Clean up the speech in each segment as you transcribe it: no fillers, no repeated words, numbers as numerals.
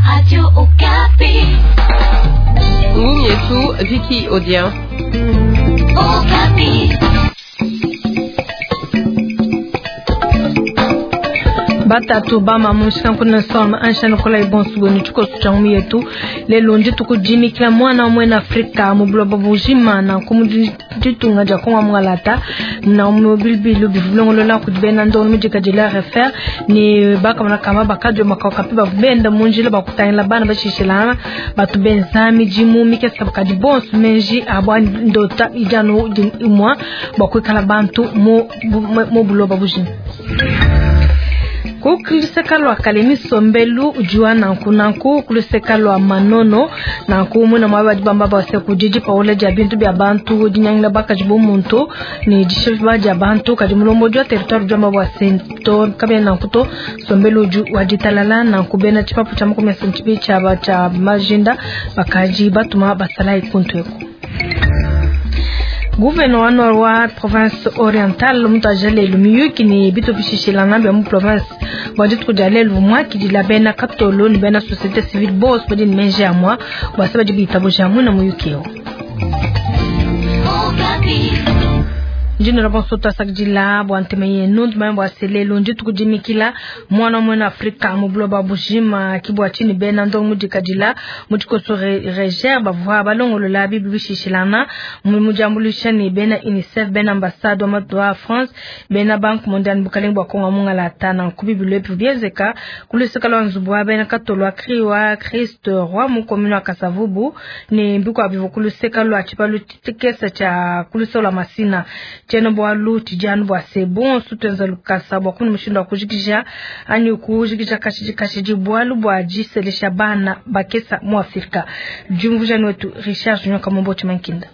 Radio Okapi. Ngumu yetu Vicky Odia. Okapi. Batatu bama mushikankuna soma anshana kola ibonsu chikosu cha ngumu yetu lelo nditukujimikila mwana mwena Afrika mu buloba bujima na kumuditunga dia konga mwangalata na mubibilu bivulongolola kudibena ndono mujika dila refer ni bakamona kama bakadio makakapi bavubenda munjila bakutangila bana bashishilana batu benza midimu mikesa bakadi bonsu menji abwa ndota ijano imwa bakwikala bantu mu mu buloba bujima. Kuluseka lwa kalemi sombelu ujua nanku nanku kuluseka lwa manono nanku muna mwa badi bamba base kujiji paola dia bintu bya bantu dinyangila bakaji bo muntu ni dishiba dia bantu kadi mulombo jwa territoire jwa mabwa sento kabya nanku to sombelu uju waditalala nanku bena chipapu cha makumi asanu cha ba cha majinda bakaji batuma basala ikuntu eko. Gouverneur wa province orientale mutu ajalelu miyuki ni bitu bishishilanga bya mu province bwa dituku dia lelu mwakidila bena katolo ni bena société civile bose badi ni menje ya mwa bwase badi bitabuja muna muyuki eo. Okapi. Ndino bonso twasakidila bwa ntema yenu ndimanya bwa selelu ndituku dimikila mwana mwena Afrika mu buloba bujima kibwa chini bena ndongo mudikadila mudikoso reger bavua balongolola bibi bishishilana mujambulisha ni bena UNICEF bena ambassade wa matu wa France bena Banque mondiale bukalenga bwa Kongo mungala tana kubibi lwepi bienzeka kuluseka lwa nzubu wa bena katolo akriwa Christ Roi mu commune wa Kasavubu ni mbikwa bivu kuluseka lwa chipalu tikesa cha kuluseka lwa Masina cheno bwalu tijanu bwa sebon sutenza lukasa bwa kuni mushindo wa kujikisha anyi kujikisha kashiji kashiji bwalu bwa jiselesha bana bakesa mu Afrika. Jumvujani wetu Richard Junior Kamombo Chimankinda.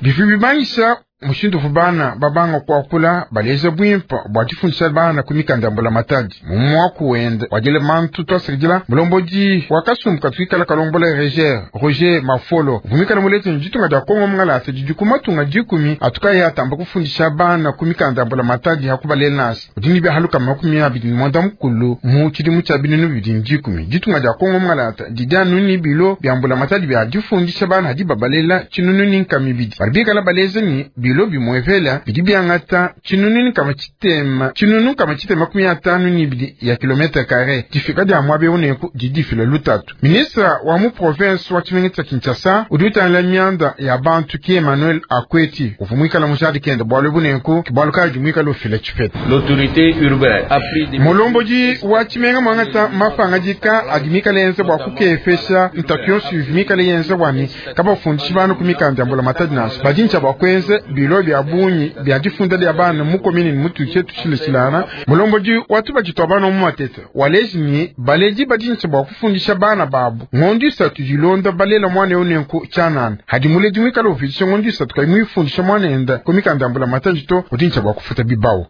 Bivi bimanyisa mushindu bana babanga kuakula baleza bwimpa bwa difundisa bana kumikanda mbula matadi mumwaku wenda wadile mantu twasakidila mulombodi wakasumbuka twikala kalombola reger Roger Mafolo vumikala mulete ditunga dia Kongo mungalasa didi kumatunga dikumi atukaye atamba kufundisha bana kumikanda mbula matadi hakubalela nasi udini bya haluka 29 mukulu mu tshidimu tshia binunu bibidi dikumi ditunga dia Kongo mungalata didi anuni bilo bya mbula matadi bya difundisha bana hadi babalela tshinunu ni nkama ibidi bali bikala baleza ni bilo bimwevela bidi byangata tshinunu kama tshitema tshinunu kama tshitema 52 ya kilometre kare difika dia mwabe uneku didifila lutatu. Ministra wa mu province wa tshimenga tshia Kinshasa udi utangila mianda ya bantu ki Emmanuel Akweti uvumwikala mujadi kende bwalu buneku kibwalu kaji mwikala ufila tshipeta. L'autorité urbaine a pris des Mulomboji wa tshimenga mwangata mafanga dika adi mikala yenze bwa kukefesha ntatu yonso ivi mikala yenze bwani kabafundishi bana ku mikanda ya mbula matadi naso badintsha bwa kwenze bilo bya bunyi bya difunda lya bana mu komini mutu chetu tshileshilana. Mulomboji watu bajitwa bana mu matete waleji ni baleji badintsha bwa kufundisha bana babu ngondo isatu dilonda balela mwana eu nenku tshanana hadi muledi mwikala ufidisha ngondo isatu kayi mwifundisha mwana enda ku mikanda ya mbula matadi to udintsha bwa kufuta bibawu.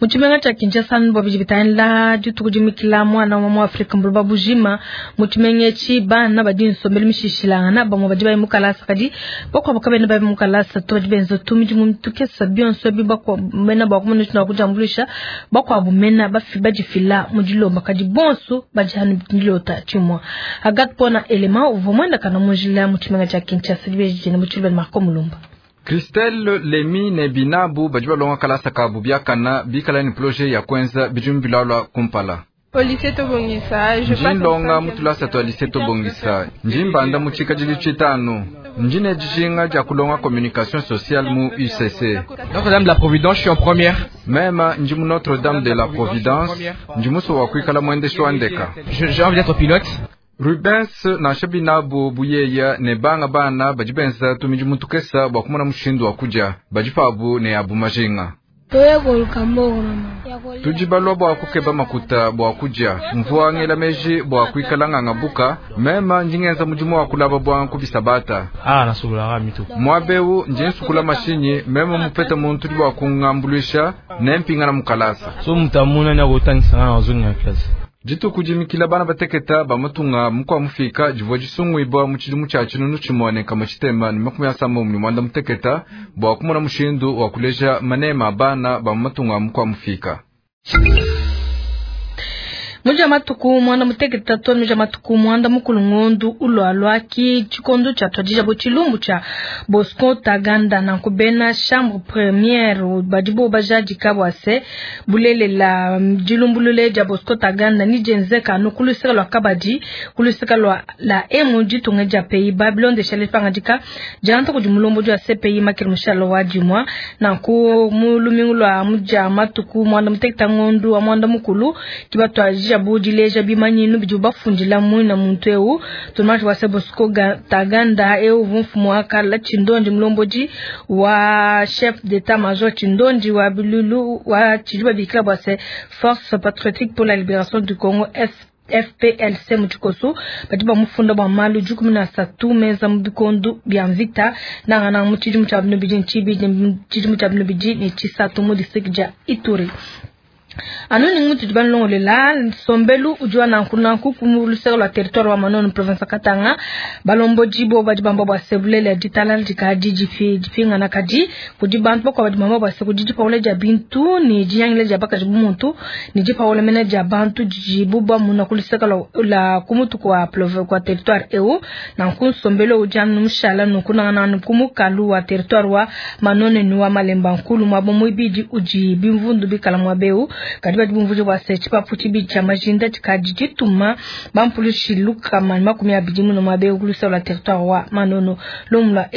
Mutshimenga tshia Kinshasa bwa bidi bitangila dituku dimikila mwana wa mu Afrika mbuloba bujima mutshimenga etshi bana badi nsombelu mishishilangana bamwe badi bayi mukalasa kadi bakuabu kabena bayi mukalasa to badi benza tu midimu tukesa bionso ebi bakuabu mena bua kumona tshina kujambuluisha bakuabu mena bafi badifila mu dilomba kadi bonso badi hanu dilota tshimua Agathe Pona elema uvua muendakana mu njila mutshimenga tshia Kinshasa dibeji mu tshilu Marco Mulumba. Christelle Lemi ne Binabu badi balonga kalasa kabu biakana bikala ni projet ya kwenza bidimu bilalwa kumpala. Ndi ndonga mutulasa twa lycée Tobongisa ndi mbanda mu tshikadili tshitanu ndi ne dijinga dia kulonga communication sociale mu UCC. Notre-Dame de la Providence, je suis en première. Mema ndi mu Notre-Dame de la Providence ndi muso wa kuikala mwendeshi wa ndeka. J'ai envie d'être pilote. Rubens nansha binabu buyeya ne banga bana badi benza tumidimu tukesa bua kumona mushindu wa kudia badi pabu ne abu majinga. Tudi balua bua kukeba makuta bua kudia mvua ngela meji bua kuikala nganga buka mema ndi ngenza mudimu wa kulaba bua nkubisabata. Muabeu ndi nsukula mashinyi mema mupeta muntu udi bua kungambuluisha ne mpingana mukalasa. Dituku dimikila bana bateketa bamatunga mukwa mufika divua disungwibwa mu tshidimu tshia tshinunu tshimoneka mu tshitema ne 78 bua kumona mushindu wa kuleja manema a bana ba matunga mukwa mufika. Muja matuku mwanda muteketa to muja matuku mwanda mukulu ngondu ulwalwa ki chikondo cha twadija bo chilumbu cha Bosco Ntaganda na kubena chambre première badibo bajaji kabwase bulelela dilumbulule dia Bosco Ntaganda ni jenzeka no kuluseka lwa kabadi kuluseka lwa la emu ditunga dia pays Babylone de chale pangadika janta kudi mulombo dia CPI makiri mushalo wa dimwa na ku mulumingu lwa muja matuku mwanda muteketa ngondu wa mwanda mukulu kibatwa jabu dileja bimanyinu bidi bafundila mwina muntu eu tumaji wa Bosco Ntaganda eu mfumu akala Tshindondi mulomboji wa chef d'état major Tshindondi wa bilulu wa tshidiba bikila bwa se Force Patriotique pour la Libération du Congo FPLC mutikoso badi bamufunda bwa malu 13 meza mubikondo bya mvita nangana mu tshidimu tshia bino bidi ntshibi tshidimu tshia bino bidi ne tshisatu mu district dia Ituri. Anu ni mutu dibanlongolela sombelu ujua nanku kumuluseka lwa territoire wa Manono province Katanga balombo jibo badi bamba bwa sebulele ditala dikadi jifi jipinga na kadi kudi bantu bakwa badi bamba bwa se kudi jipaule ja bintu ni jiyangile ja bakaji bumuntu ni jipaule mena ja bantu jibu ba muna kuluseka la kumutu kwa province kwa territoire eu nanku sombelu ujua numshala nukuna na kumukalu wa territoire wa Manono ni wa Malemba Nkulu mwabomu ibidi uji bimvundu bikala mwabeu kadi badi bumvuje bwa se chipapu chibi cha majinda chikadi chituma bampulushi luka 20 muno mwabe ukulusa la territoire wa Manono lomla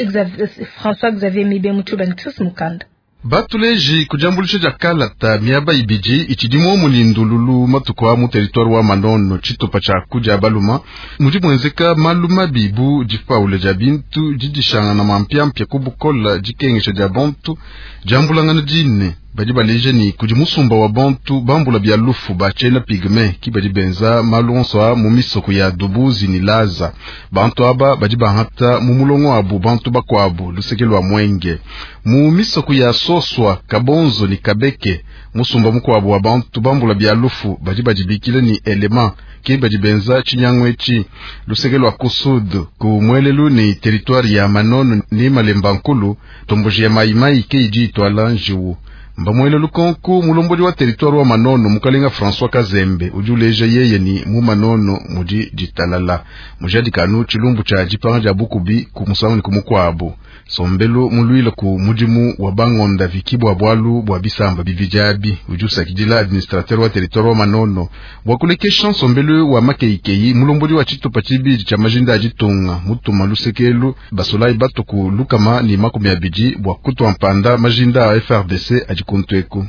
François Xavier Mibe mutuba Chris Mukanda. Batuleji kujambulisha ja kalata miaba ibiji ichidimo mulindululu matuko mu territoire wa Manono chitupa cha kuja baluma mudi mwenzeka maluma bibu jipaule ja bintu jidishanga na mampyampya kubukola jikengesha ja bantu jambulangana jine badi baleje ni kudi musumba wa bantu bambula bya lufu bachena pigme ki badi benza malonso mu misoko ya dubuzi ni laza bantu aba badi bahata mu mulongo abu bantu bakwabu luseke lwa mwenge mu misoko ya soswa kabonzo ni kabeke musumba mukwabu wa bantu bambula bya lufu badi badibikile ni elema ki badi benza chinyangwechi luseke lwa kusud ku mwelelu ni territoire ya Manono ni Malemba Nkulu tomboji ya maimai ke idi itwala njiwu mbamwele lukonku mulomboli wa territoire wa Manono mukalenga François Kazembe ujuleja yeye ni mu Manono mudi ditalala mujadikanu chilumbu cha jipanga ja bukubi ku musangu ni kumukwabu sombelu mulwila ku mudimu wa bangonda vikibwa bwalu bwa bisamba bivijabi ujusakidila administrateur wa territoire wa Manono bwakulekesha nsombelu wa makeikei mulomboli wa chitupa chibiji cha majinda ajitunga mutuma lusekelu basolai batuku lukama ni 20 bwa kutwa mpanda majinda a FRDC ajikuntweku.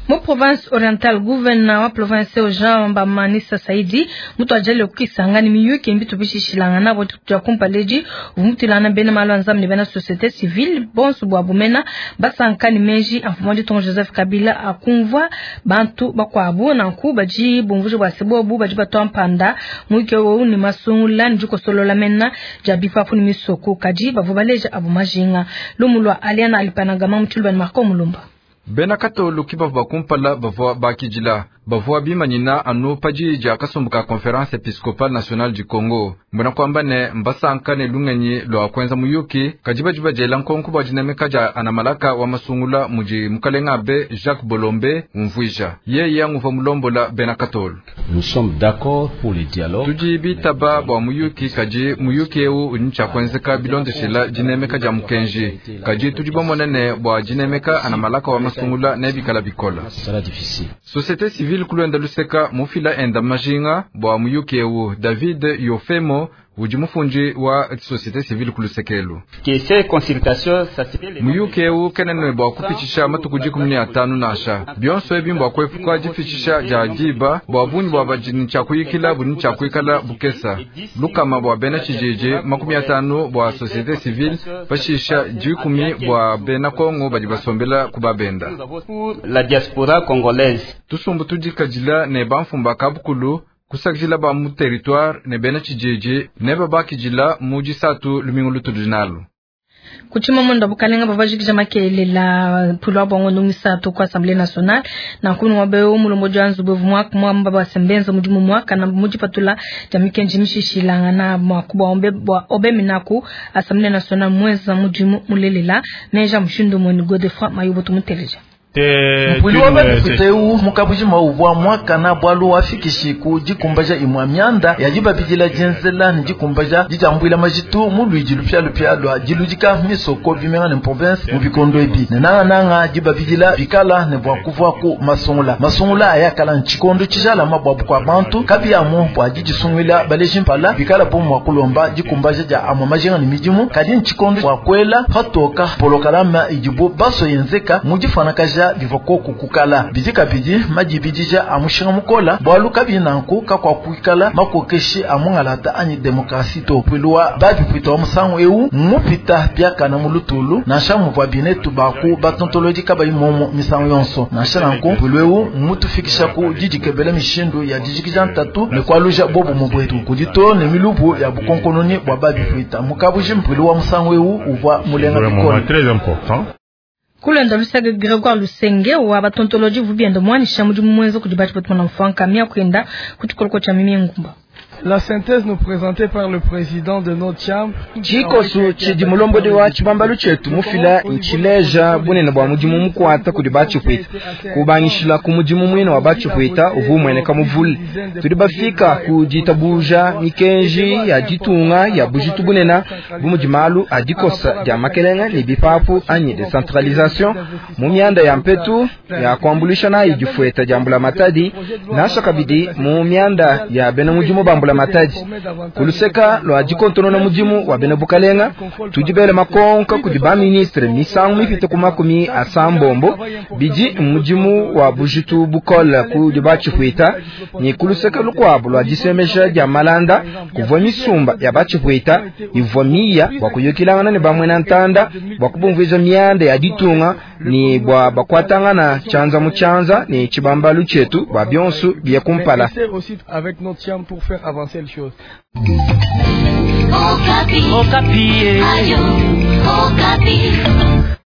Mu province orientale gouverneur wa province Jean Bamanisa Saidi mutu ajali okisanga ni miyuki mbitu bishishilanga nabo twa kumpaleji vumutilana bena malwanza ni bena société civile bonsu bwa bumena basanka ni meji amfumo ton Joseph Kabila akumva bantu bakwabu na nkuba ji bumvuje bwa sebobu baji batwa muke wo ni masungula njuko solola mena jabipa fu ni misoko kaji bavubaleja abu majinga lumulwa aliana alipanagama mutulba ni Marco Mulumba. Bena katolu kibavu bakumpala bavua bakijila bavua bimanyina anu pajija kasumbuka Conférence Episcopale Nationale du Congo mbona kwamba ne mbasanka ne lungenyi lwa kwenza muyuki kajibajiba jela nkonku bwa dinemeka ja anamalaka wa masungula muji mukalenga be Jacques Bolombe umvuija yeye yanguva mulombola bena katolu. Nous sommes d'accord pour le dialogue. Tuji bitaba bwa muyuki kaji muyuki eu uncha kwenzeka bilondeshela dinemeka ja mukenji kaji tuji bomonene bwa dinemeka anamalaka wa masungula nebikala bikola. Société civile kulwenda luseka mufila enda majinga bwa muyuki eu David Yofemo uji mufunji wa société civile kulusekelu muyuki eu kenene bwa kupichisha matuku 15 nasha bionso ebi mbwa kwefuka jifichisha ja jiba bwa bunyi bwa bajini cha kuyikila buni cha kuikala bukesa lukama bwa bena chijiji 50 bwa société civile pashisha 10 bwa bena Kongo badi basombela kubabenda la diaspora congolaise tusumbu tudikajila ne bamfumba kabukulu kusakijila ba mu territoire ne bena chijiji ne babakijila muji satu lumingu lutudinalu. Kuchima mwendo bukalenga babajikija makelela pulwa bongo ndungisa to kwa Assemblée nationale na kunu wabeo mulombo janzu bevu mwaka mwamba basembenza mudimu mwaka na mujipatula jamikenji mishishilanga na mwakubwa ombe bwa obeminaku Assemblée nationale mweza mudimu mulelela neja mushindo mweni Godefroid Mayubo tumuteleja. Mpuilu wa babipuita eu mu kabujima uvua muakana bualu wafikishi ku dikumbaja imua mianda ya dibabidila dienzela ne dikumbaja didiambuila majitu mu luidi lupialupia lua diludika misoko bimenga ne province mu bikondo ebi ne nangananga dibabidila bikala ne bua kuvuaku masungula. Masungula ayakala ntshikondo tshijalama bua bukua bantu kabiamu bua didisunguila baleji mpala bikala bo mua kulomba dikumbaja dia amua majinga ne midimu, kadi ntshikondo bua kuela patoka polokalama idibo baso yenzeka mu difuanakaja bivua koku kukala bidi kabidi madibidija a mushinga mukola bualu kabi nanku kakwakuikala makokeshi a mungalata anyi demokrasi to. Mpuilu wa babipuita wa musangu eu mupita biakana mu lutulu nansha muvua binetu baku batontolodi kabayi momo misangu yonso. Nansha nanku mpuilu eu mutufikisha ku didikebela mishindu ya dijikija ntatu ne kualuja bobu bwetu kudi to ne milubu ya bukonkononi bua babipuita. Mukabuji mpuilu wa musangu eu uvua mulenga bikole. Kulenda luseke Gregoire Lusenge wa batontoloji vubiendo mwanisha mudimu mwenzo kudi batu batu mfwanka mia kwenda kuchikoloko cha mimi ngumba. La synthèse nous présentée par le président de notre chambre. Chikosu chidi mulombodi wa chibambalu chetu mufila nchileja bunene bwa mudimu mukwata kudi bachipuita kubangishila ku mudimu mwine wa bachipuita uvu mweneka muvule tudi bafika ku ditabuja mikenji ya ditunga ya bujitu bunena bumudimalu adikosa dia makelenga ne bipapu anyi decentralisation mu mianda ya mpetu ya kuambulisha nayi difueta dia mbula matadi nasha kabidi mu mianda ya bena mudimu bambula matadi kuluseka lwa dikontonona mudimu wa bena bukalenga tudi bele makonka kudi ba ministre misangu mipite ku makumi asambombo bidi mudimu wa bujitu bukole kudi bachipuita ni kuluseka lukwabo lwa disemesha dia malanda kuvua misumba ya bachipuita ivua miya bwa kuyukilangana ne bamwena ntanda bwa kubumvuiza mianda ya ditunga ni bwa bakwatangana chanza mu chanza ni chibambalu chetu bwa bionsu bia kumpala. Avec notre chambre pour faire avancer les choses. Okapi. Okapi. Ayo, Okapi.